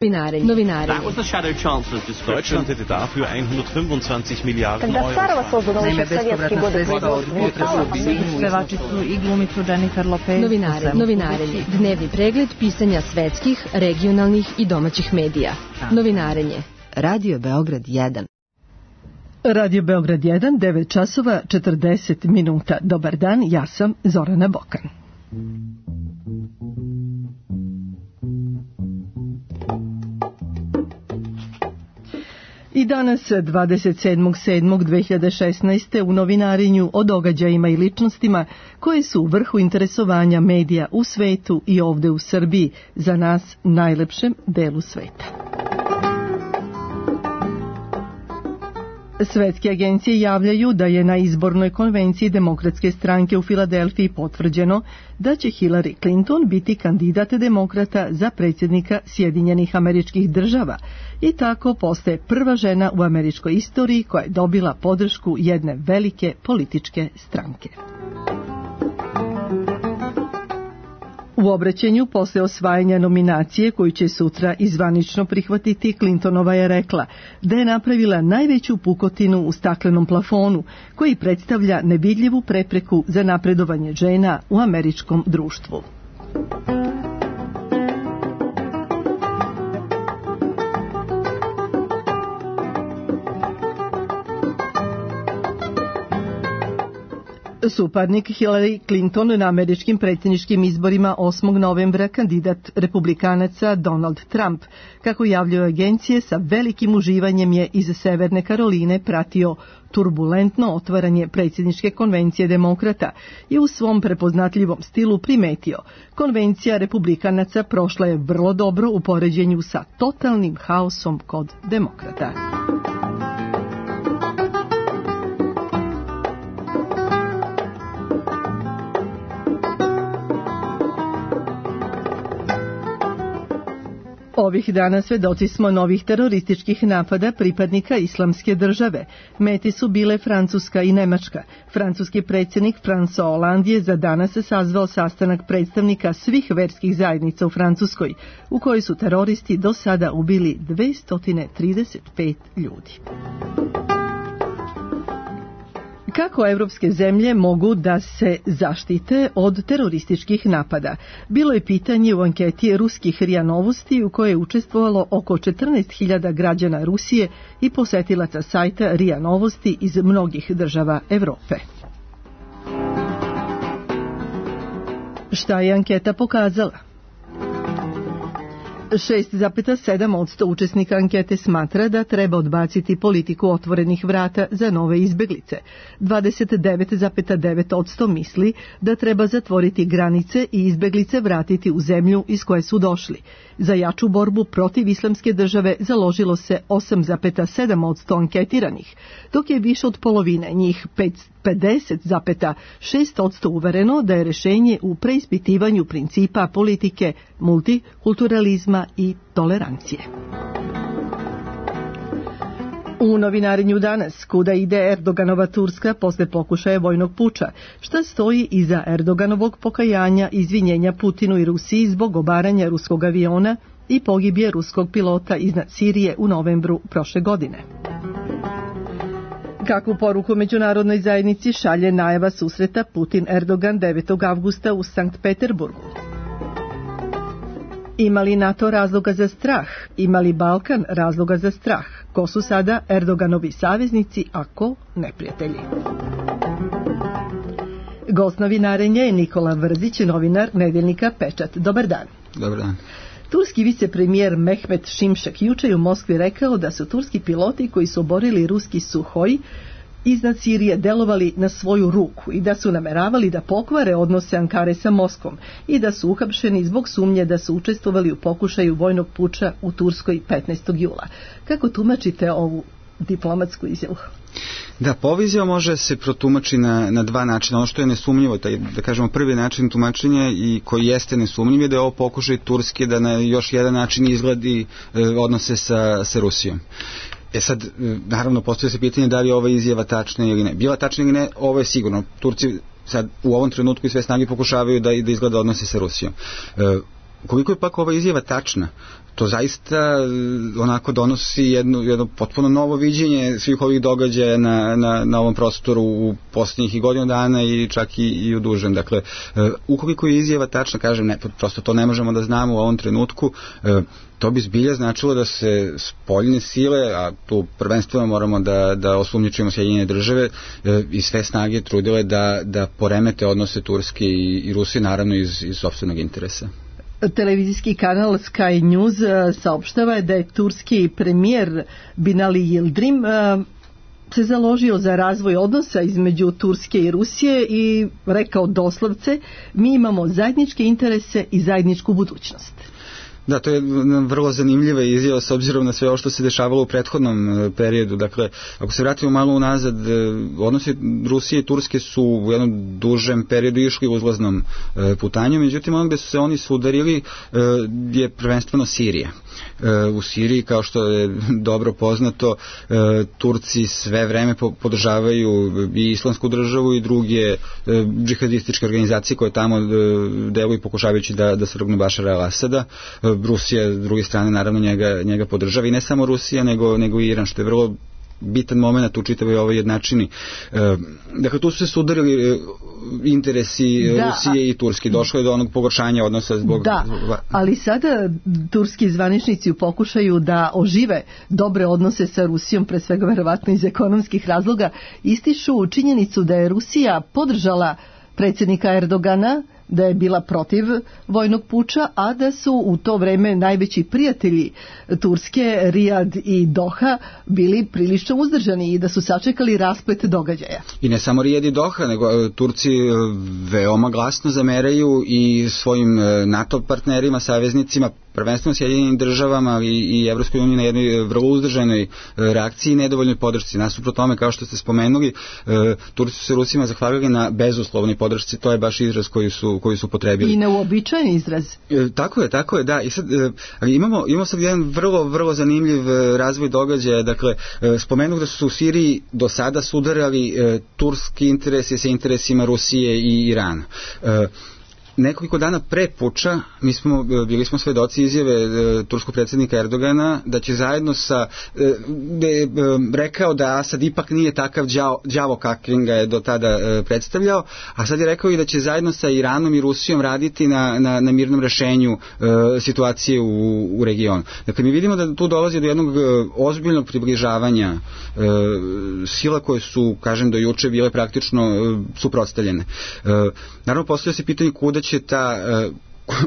Novinare. That was the Shadow Chancellor's description. Deutschland hätte dafür 125 Miliarden Когда Сарова создана еще в советские годы Pevači su i glumicu Jennifer Lopez. Novinarenje. Dnevni pregled pisanja svetskih, regionalnih i domaćih medija. Novinarenje. Radio Beograd 1. Radio Beograd 1, 9 časova 40 minuta. Dobar dan, ja sam Zorana Bokan. I danas, 27.7.2016. u novinarenju o događajima i ličnostima koje su u vrhu interesovanja medija u svetu i ovde u Srbiji, za nas najlepšem delu sveta. Svetske agencije javljaju da je na izbornoj konvenciji Demokratske stranke u Filadelfiji potvrđeno da će Hillary Clinton biti kandidat demokrata za predsjednika Sjedinjenih Američkih Država i tako postaje prva žena u američkoj istoriji koja je dobila podršku jedne velike političke stranke. U obraćanju posle osvajanja nominacije koju će sutra izvanično prihvatiti, Clintonova je rekla da je napravila najveću pukotinu u staklenom plafonu koji predstavlja nevidljivu prepreku za napredovanje žena u američkom društvu. Suparnik Hillary Clinton na američkim predsjedničkim izborima 8. novembra kandidat republikanaca Donald Trump, kako javljaju agencije, sa velikim uživanjem je iz Severne Karoline pratio turbulentno otvaranje predsjedničke konvencije demokrata i u svom prepoznatljivom stilu primetio: konvencija republikanaca prošla je vrlo dobro u poređenju sa totalnim haosom kod demokrata. Ovih dana svedoci smo novih terorističkih napada pripadnika Islamske države. Meti su bile Francuska i Nemačka. Francuski predsjednik François Hollande je za danas sazvao sastanak predstavnika svih verskih zajednica u Francuskoj, u kojoj su teroristi do sada ubili 235 ljudi. Kako evropske zemlje mogu da se zaštite od terorističkih napada? Bilo je pitanje u anketi ruskih RIA Novosti u kojoj je učestvovalo oko 14.000 građana Rusije i posetilaca sajta RIA Novosti iz mnogih država Evrope. Šta je anketa pokazala? 6,7% učesnika ankete smatra da treba odbaciti politiku otvorenih vrata za nove izbeglice. 29,9% misli da treba zatvoriti granice i izbeglice vratiti u zemlju iz koje su došli. Za jaču borbu protiv Islamske države založilo se 8,7% anketiranih, dok je više od polovine njih 50,6% uvereno da je rešenje u preispitivanju principa politike multikulturalizma i tolerancije. U novinarenju danas, kuda ide Erdoganova Turska posle pokušaja vojnog puča, šta stoji iza Erdoganovog pokajanja i izvinjenja Putinu i Rusiji zbog obaranja ruskog aviona i pogibije ruskog pilota iznad Sirije u novembru prošle godine. Kakvu poruku međunarodnoj zajednici šalje najava susreta Putin-Erdogan 9. avgusta u Sankt Peterburgu? Ima li NATO razloga za strah? Ima li Balkan razloga za strah? Ko su sada Erdoganovi saveznici, a ko neprijatelji? Gost novinarenja je Nikola Vrzić, novinar nedeljnika Pečat. Dobar dan. Dobar dan. Turski vicepremijer Mehmet Şimşek juče je u Moskvi rekao da su turski piloti koji su oborili ruski Suhoj iznad Sirije delovali na svoju ruku i da su nameravali da pokvare odnose Ankare sa Moskvom i da su uhapšeni zbog sumnje da su učestvovali u pokušaju vojnog puča u Turskoj 15. jula. Kako tumačite ovu diplomatsku izjavu? Da, ova izjava može se protumači na dva načina. Ono što je nesumnjivo, da kažemo prvi način tumačenja i koji jeste nesumnjiv je da je ovo pokušaj Turske da na još jedan način izgledi odnose sa Rusijom. Sad, naravno, postoji se pitanje da li je ova izjava tačna ili ne. Bila tačna ili ne, ovo je sigurno. Turci sad u ovom trenutku i sve snage pokušavaju da izgleda odnose sa Rusijom. koliko je pak ova izjava tačna, to zaista onako donosi jedno potpuno novo viđenje svih ovih događaja na ovom prostoru u posljednjih i godinu dana i čak i u dužem. Dakle, ukoliko je izjava tačna, kažem, prosto to ne možemo da znamo u ovom trenutku, to bi zbilja značilo da se spoljne sile, a tu prvenstveno moramo da osumnjičimo Sjedinjene države, i sve snage trudile da poremete odnose Turske i Rusije, naravno iz sopstvenog interesa. Televizijski kanal Sky News saopštava da je turski premijer Binali Yildirim se založio za razvoj odnosa između Turske i Rusije i rekao doslovce: mi imamo zajedničke interese i zajedničku budućnost. Da, to je vrlo zanimljiva izjava s obzirom na sve ovo što se dešavalo u prethodnom periodu. Dakle, ako se vratimo malo unazad, odnosi Rusije i Turske su u jednom dužem periodu išli uzlaznom putanju, međutim ono gde su se oni sudarili je prvenstveno Sirija. U Siriji, kao što je dobro poznato, Turci sve vreme podržavaju i Islamsku državu i druge džihadističke organizacije koje tamo deluju pokušavajući da svrgnu Bašara al-Asada. Rusija, s druge strane, naravno njega podržava, i ne samo Rusija, nego i Iran, što je vrlo bitan moment u čitavoj ovoj jednačini. Dakle, tu su se sudarili interesi Rusije i Turske. Došlo je do onog pogoršanja odnosa zbog... Da, ali sada turski zvaničnici u pokušaju da ožive dobre odnose sa Rusijom, pre svega verovatno iz ekonomskih razloga, ističu činjenicu da je Rusija podržala predsjednika Erdogana, da je bila protiv vojnog puča, a da su u to vreme najveći prijatelji Turske, Rijad i Doha, bili prilično uzdržani i da su sačekali rasplet događaja. I ne samo Rijad i Doha, nego Turci veoma glasno zameraju i svojim NATO partnerima, saveznicima, prvenstveno Sjedinjenim državama i Evropskoj uniji na jednoj vrlo uzdržanoj reakciji i nedovoljnoj podršci. Nasuprot tome, kao što ste spomenuli, Turci su se Rusima zahvalili na bezuslovnoj podršci, to je baš izraz koji su potrebili. I neuobičajen izraz. Tako je, da. I sad, imamo sad jedan vrlo zanimljiv razvoj događaja. Dakle, spomenuh da su u Siriji do sada sudarali turski interesi sa interesima Rusije i Irana. Nekoliko dana pre puča bili smo svedoci izjave turskog predsjednika Erdogana da će zajedno gde je rekao da Asad ipak nije takav đavo kakvim ga je do tada predstavljao, a sad je rekao i da će zajedno sa Iranom i Rusijom raditi na mirnom rešenju situacije u regionu. Dakle, mi vidimo da tu dolazi do jednog ozbiljnog približavanja sila koje su, kažem, do juče bile praktično suprotstavljene. Naravno, postavlja se pitanje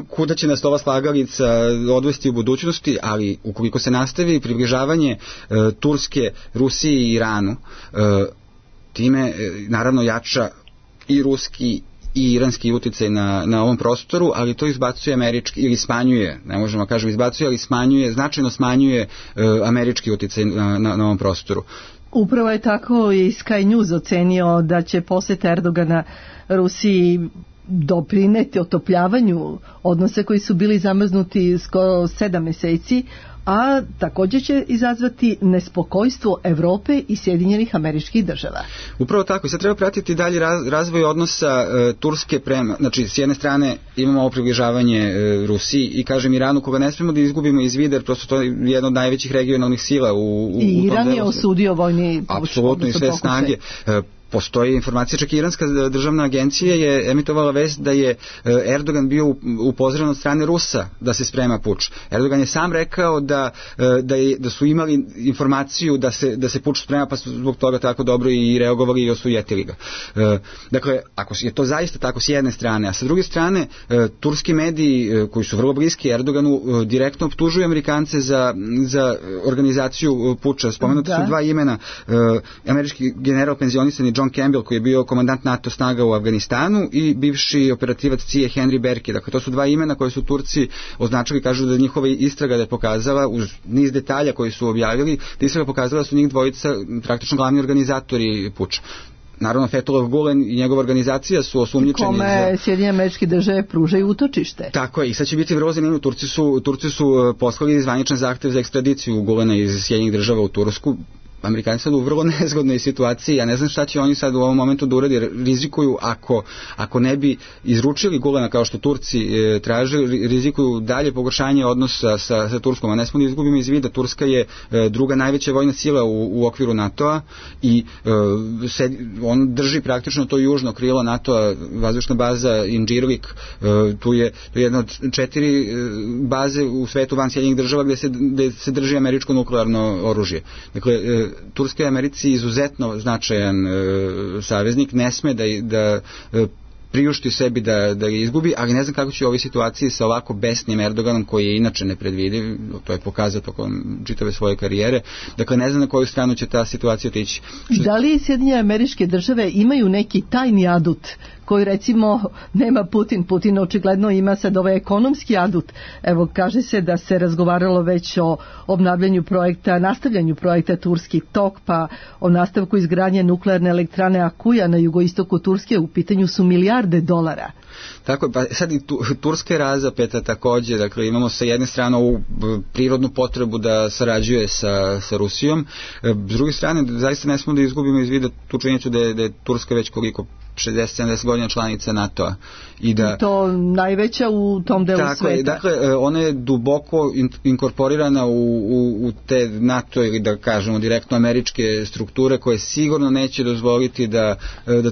kuda će nas ova slagalica odvesti u budućnosti, ali ukoliko se nastavi približavanje Turske, Rusiji i Iranu, time naravno jača i ruski i iranski uticaj na ovom prostoru, ali to izbacuje američki, ili smanjuje, ne možemo kažem izbacuje, ali značajno smanjuje američki uticaj na ovom prostoru. Upravo je tako i Sky News ocenio da će posjet Erdogana Rusiji doprineti otopljavanju odnosa koji su bili zamrznuti skoro 7 meseci, a također će izazvati nespokojstvo Evrope i Sjedinjenih Američkih Država. Upravo tako. I sad treba pratiti dalje razvoj odnosa Turske prema, znači s jedne strane imamo ovo približavanje Rusiji i kažem Iranu, koga ne smemo da izgubimo iz vida, jer prosto to je jedna od najvećih regionalnih sila u Iran je osudio vojni puč. Apsolutno, i sve snage. Postoji informacija, čak i iranska državna agencija je emitovala vest da je Erdogan bio upozoren od strane Rusa da se sprema puč. Erdogan je sam rekao da su imali informaciju da se puč sprema, pa su zbog toga tako dobro i reagovali i osujetili ga. Dakle, ako je to zaista tako s jedne strane, a sa druge strane turski mediji koji su vrlo bliski Erdoganu direktno optužuju Amerikance za organizaciju puča. Spomenuti su dva imena, američki general penzionisani John Campbell, koji je bio komandant NATO snaga u Afganistanu, i bivši operativac CIA Henry Berke. Dakle, to su dva imena koje su Turci označili, kažu da njihova istraga da je pokazala, uz niz detalja koji su objavili, da istraga pokazala da su njih dvojica praktično glavni organizatori puča. Naravno, Fethullah Gulen i njegova organizacija su osumnjičeni. Kome Sjedinjene Američke Države pružaju utočište. Tako je, i sad će biti vrlo zanimljivo. Turci su poslali zvaničan zahtev za ekstradiciju Gulena iz Sjedinjenih Država u Tursku. Amerikanci sad u vrlo nezgodnoj situaciji, ja ne znam šta će oni sad u ovom momentu da uradi, rizikuju ako ne bi izručili Gulena kao što Turci traže, rizikuju dalje pogoršanje odnosa sa Turskom, a ne smo da izgubimo iz vida, Turska je druga najveća vojna sila u okviru NATO-a i on drži praktično to južno krilo NATO-a, vazdušna baza Incirlik, tu je jedna od 4 baze u svetu van Sjedinjenih država gde se drži američko nuklearno oružje. Dakle, Turska je Americi izuzetno značajan saveznik, ne sme da priušti sebi da ga izgubi, ali ne znam kako će u ovoj situaciji sa ovako besnim Erdoganom, koji je inače nepredvidiv, to je pokazao tokom čitave svoje karijere, dakle ne znam na koju stranu će ta situacija otići. Da li Sjedinjene Američke Države imaju neki tajni adut koji recimo nema Putin? Putin očigledno ima sad ovaj ekonomski adut. Evo, kaže se da se razgovaralo već o obnavljanju projekta, nastavljanju projekta Turski tok, pa o nastavku izgradnje nuklearne elektrane Akuja na jugoistoku Turske, u pitanju su milijarde dolara. Tako je, pa sad i Turska je razapeta takođe, dakle imamo sa jedne strane ovu prirodnu potrebu da sarađuje sa Rusijom, s druge strane zaista ne smo da izgubimo iz vida tu činjenicu da je Turska već koliko 60-70 godina članica NATO-a. I to najveća u tom delu sveta. Dakle, ona je duboko inkorporirana u te NATO ili da kažemo direktno američke strukture koje sigurno neće dozvoliti da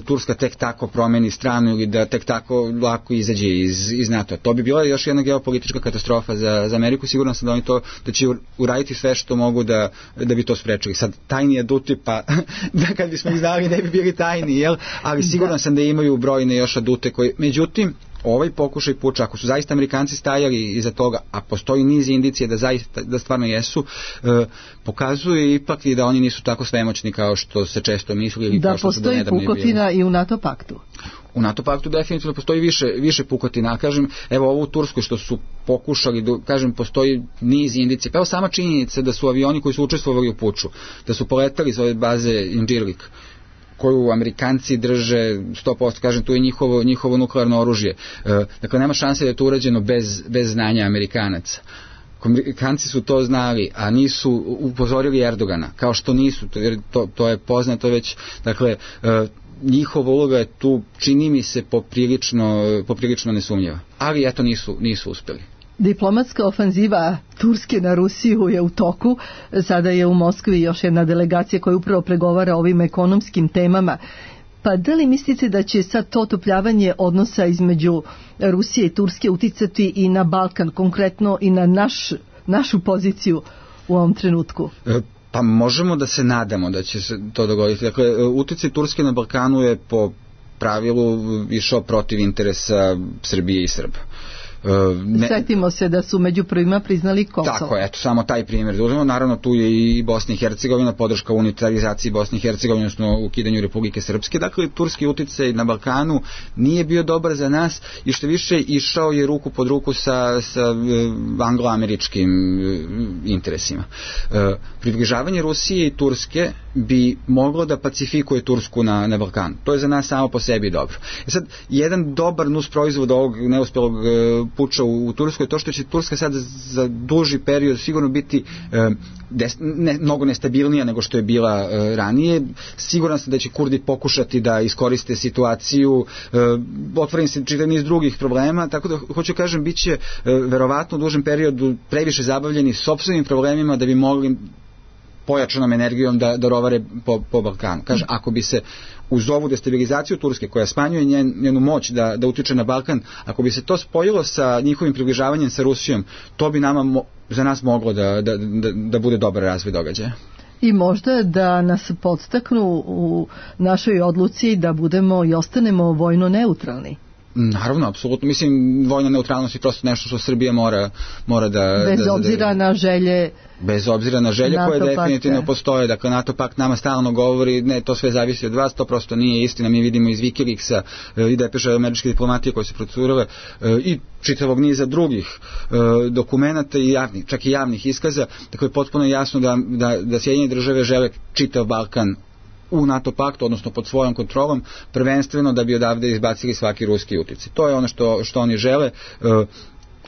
Turska tek tako promeni stranu ili da tek tako lako izađe iz NATO. To bi bila još jedna geopolitička katastrofa za Ameriku. Sigurno sam da oni da će uraditi sve što mogu da bi to sprečili. Sad, tajni aduti, pa da kad bismo ih znali ne bi bili tajni, jel? Ali sigurno sam da imaju brojne još adute koji, međutim, ovaj pokušaj puča, ako su zaista Amerikanci stajali iza toga, a postoji niz indicije da stvarno jesu, pokazuje ipak i da oni nisu tako svemoćni kao što se često misli ili kao što su do nedavno bili. Da postoji pukotina i u NATO paktu. U NATO paktu definitivno postoji više pukotina, kažem, evo ovo u Turskoj što su pokušali, kažem, postoji niz indicija, pa evo sama činjenica da su avioni koji su učestvovali u puču, da su poletali iz ove baze Incirlik, koju Amerikanci drže 100%, kažem, tu je njihovo nuklearno oružje. Dakle, nema šanse da je to urađeno bez znanja Amerikanaca. Amerikanci su to znali, a nisu upozorili Erdogana, kao što nisu, to je poznato već, dakle, njihova uloga je tu, čini mi se, poprilično nesumnjiva. Ali eto, nisu uspjeli. Diplomatska ofanziva Turske na Rusiju je u toku. Sada je u Moskvi još jedna delegacija koja upravo pregovara o ovim ekonomskim temama. Pa da li mislite da će sad to otopljavanje odnosa između Rusije i Turske uticati i na Balkan, konkretno i na našu poziciju u ovom trenutku? Pa možemo da se nadamo da će se to dogoditi. Dakle, uticaj Turske na Balkanu je po pravilu išao protiv interesa Srbije i Srba. Sjetimo se da su među prvima priznali Kosovo. Tako, eto, samo taj primjer da uzmemo. Naravno, tu je i Bosna i Hercegovina, podrška unitarizaciji Bosne i Hercegovine, odnosno ukidanju Republike Srpske. Dakle, turski uticaj na Balkanu nije bio dobar za nas i što više išao je ruku pod ruku sa anglo-američkim interesima. Približavanje Rusije i Turske bi moglo da pacifikuje Tursku na Balkanu. To je za nas samo po sebi dobro. Sad, jedan dobar nus proizvod ovog neuspelog puča u Turskoj je to što će Turska sad za duži period sigurno biti mnogo nestabilnija nego što je bila ranije. Siguran sam da će Kurdi pokušati da iskoriste situaciju, otvorim se čitav niz drugih problema, tako da hoću kažem, bit će verovatno u dužem periodu previše zabavljeni sopstvenim problemima da bi mogli pojačanom energijom da rovare po Balkanu. Kaže, ako bi se uz ovu destabilizaciju Turske, koja smanjuje njenu moć da utiče na Balkan, ako bi se to spojilo sa njihovim približavanjem sa Rusijom, to bi za nas moglo da bude dobar razvoj događaja. I možda da nas podstaknu u našoj odluci da budemo i ostanemo vojno neutralni. Naravno, apsolutno. Mislim, vojna neutralnost je prosto nešto što Srbija mora da... Bez obzira na želje... Bez obzira na želje koje definitivno postoje. Dakle, NATO pakt nama stalno govori, ne, to sve zavisi od vas, to prosto nije istina. Mi vidimo iz Wikileaksa i depeša američke diplomatije koje se procurale i čitavog niza drugih dokumenata i čak i javnih iskaza. Dakle, potpuno jasno da Sjedinjene države žele čitav Balkan u NATO paktu, odnosno pod svojom kontrolom, prvenstveno da bi odavde izbacili svaki ruski uticaj. To je ono što oni žele.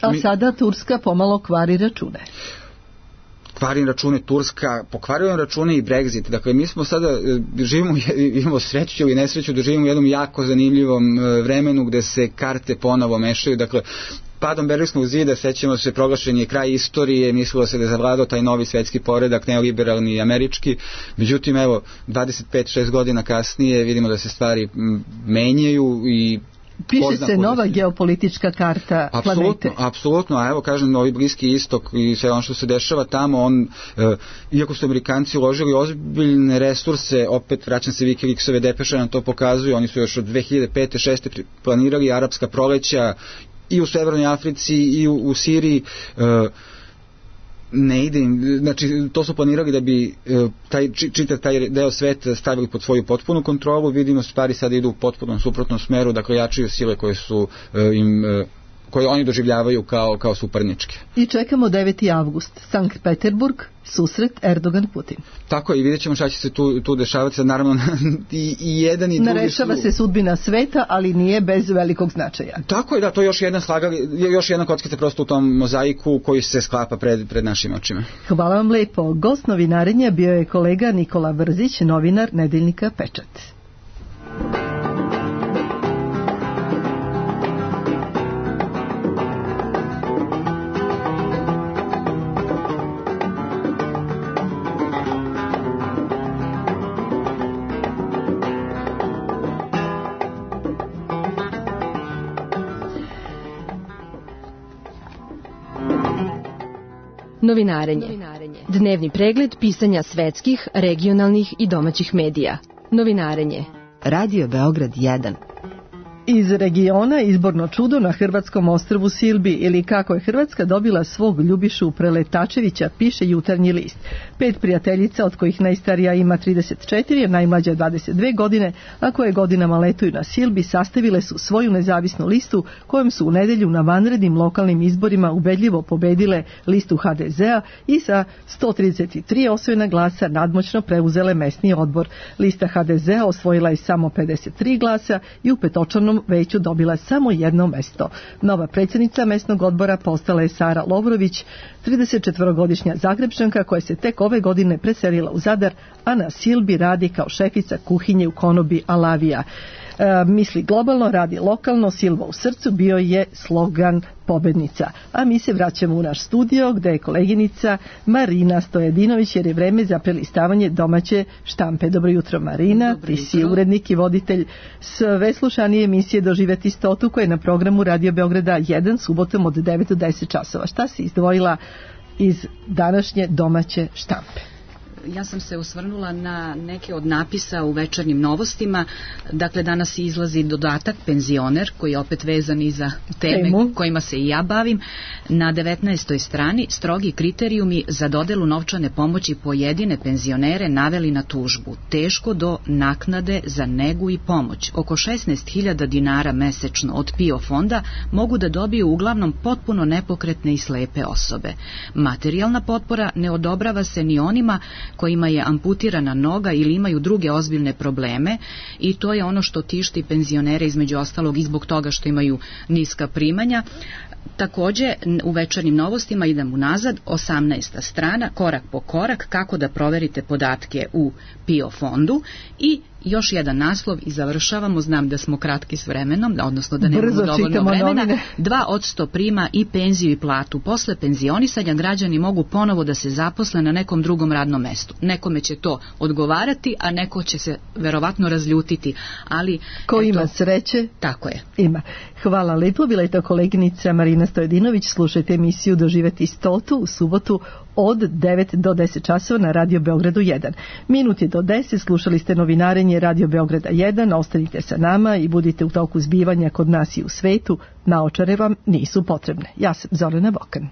A sada Turska pomalo kvari račune. pokvarili račune Turska, pokvarili račune i Brexit. Dakle, mi smo sada, imamo sreću ili nesreću da živimo u jednom jako zanimljivom vremenu gde se karte ponovo mešaju. Dakle, padom Berlinskog zida, sećamo se, proglašen je kraj istorije, mislilo se da je zavladao taj novi svetski poredak, neoliberalni i američki. Međutim, evo, 25-6 godina kasnije vidimo da se stvari menjaju i piše se nova geopolitička karta planete. Apsolutno, a evo kažem, novi Bliski istok i sve ono što se dešava tamo, iako su Amerikanci uložili ozbiljne resurse, opet vraćam se Wikileaksove depeše nam to pokazuju, oni su još od 2005-2006 planirali arapska proleća i u Severnoj Africi i u Siriji, ne ide im, znači to su planirali da bi čitav taj deo sveta stavili pod svoju potpunu kontrolu. Vidimo stvari sada idu u potpunom suprotnom smeru, dakle jačaju sile koje su koje oni doživljavaju kao suparničke. I čekamo 9. avgust, Sankt Peterburg, susret Erdogan-Putin. Tako je, i vidjet ćemo šta će se tu dešavati. Naravno, i jedan i drugi narešava se sudbina sveta, ali nije bez velikog značaja. Tako je, da, to je još jedna kockica prosto u tom mozaiku koji se sklapa pred našim očima. Hvala vam lepo. Gost novinarenja bio je kolega Nikola Vrzić, novinar nedeljnika Pečat. Novinarenje. Dnevni pregled pisanja svetskih, regionalnih i domaćih medija. Novinarenje. Radio Beograd 1. Iz regiona izborno čudo na hrvatskom ostrvu Silbi, ili kako je Hrvatska dobila svog Ljubišu Preletačevića, piše Jutarnji list. 5 prijateljica, od kojih najstarija ima 34, a najmlađa 22 godine, a koje godinama letuju na Silbi, sastavile su svoju nezavisnu listu kojom su u nedelju na vanrednim lokalnim izborima ubedljivo pobedile listu HDZ-a i sa 133 osvojena glasa nadmoćno preuzele mesni odbor. Lista HDZ-a osvojila je samo 53 glasa i u petočlanom veću dobila samo jedno mesto. Nova predsjednica mesnog odbora postala je Sara Lovrović, 34-godišnja Zagrebčanka koja se tek ove godine preselila u Zadar, a na Silbi radi kao šefica kuhinje u konobi Alavija. Misli globalno, radi lokalno, Silva u srcu bio je slogan pobednica. A mi se vraćamo u naš studio gde je koleginica Marina Stojedinović, jer je vreme za prelistavanje domaće štampe. Dobro jutro, Marina, ti si urednik i voditelj sve slušanije emisije Doživeti stotu koja je na programu Radio Beograda 1 subotom od 9 do 10 časova. Šta si izdvojila iz današnje domaće štampe? Ja sam se osvrnula na neke od napisa u večernjim novostima. Dakle, danas izlazi dodatak penzioner, koji je opet vezan i za teme kojima se i ja bavim. Na 19. strani strogi kriterijumi za dodelu novčane pomoći pojedine penzionere naveli na tužbu. Teško do naknade za negu i pomoć. Oko 16.000 dinara mesečno od PIO fonda mogu da dobiju uglavnom potpuno nepokretne i slepe osobe. Materijalna potpora ne odobrava se ni onima kojima je amputirana noga ili imaju druge ozbiljne probleme, i to je ono što tišti penzionere, između ostalog i zbog toga što imaju niska primanja. Također u večernjim novostima idem unazad, 18. strana, korak po korak, kako da proverite podatke u PIO fondu, i još jedan naslov i završavamo. Znam da smo kratki s vremenom, odnosno da nemamo dovoljno vremena. 2% prima i penziju i platu. Posle penzionisanja građani mogu ponovo da se zaposle na nekom drugom radnom mestu. Nekome će to odgovarati, a neko će se verovatno razljutiti. Ali ko ima sreće, tako je. Ima. Hvala lepo, bila je to koleginica Marina Stojedinović. Slušajte emisiju Doživeti stotu u subotu od 9 do 10 časova na Radio Beogradu 1. Minut je do 10, slušali ste novinarenje Radio Beograda 1, ostanite sa nama i budite u toku zbivanja kod nas i u svetu, naočare vam nisu potrebne. Ja sam Zorana Bokan.